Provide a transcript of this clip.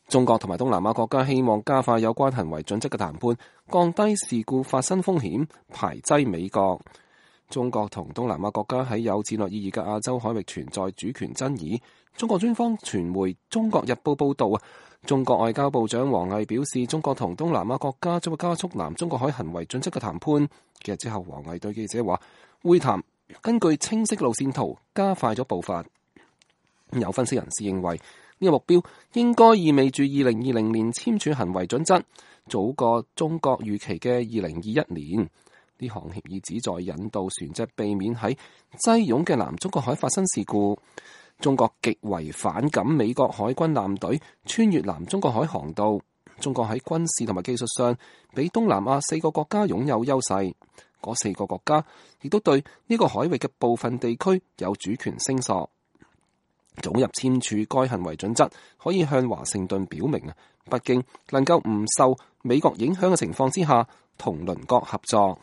中國同埋東南亞國家希望加快有關行為準則嘅談判，降低事故發生風險，排擠美國。中國同東南亞國家喺有戰略意義嘅亞洲海域存在主權爭議。中國專方傳媒《中國日報》報導，中國外交部長王毅表示，中國同東南亞國家將會加速南中國海行為準則嘅談判。幾日之後，王毅對記者話，會談根據清晰路線圖加快咗步伐。有分析人士認為，呢個目標應該意味住2020年簽署行為準則，早過中國預期嘅2021年。呢項協議旨在引導船隻避免喺擠擁嘅南中國海發生事故。中國極為反感美國海軍艦隊穿越南中國海航道。中國喺軍事同埋技術上比東南亞4個國家擁有優勢。嗰4個國家亦都對呢個海域嘅部分地區有主權聲索。早日簽署該行為準則，可以向華盛頓表明北京能夠唔受美國影響嘅情況之下，同鄰國合作。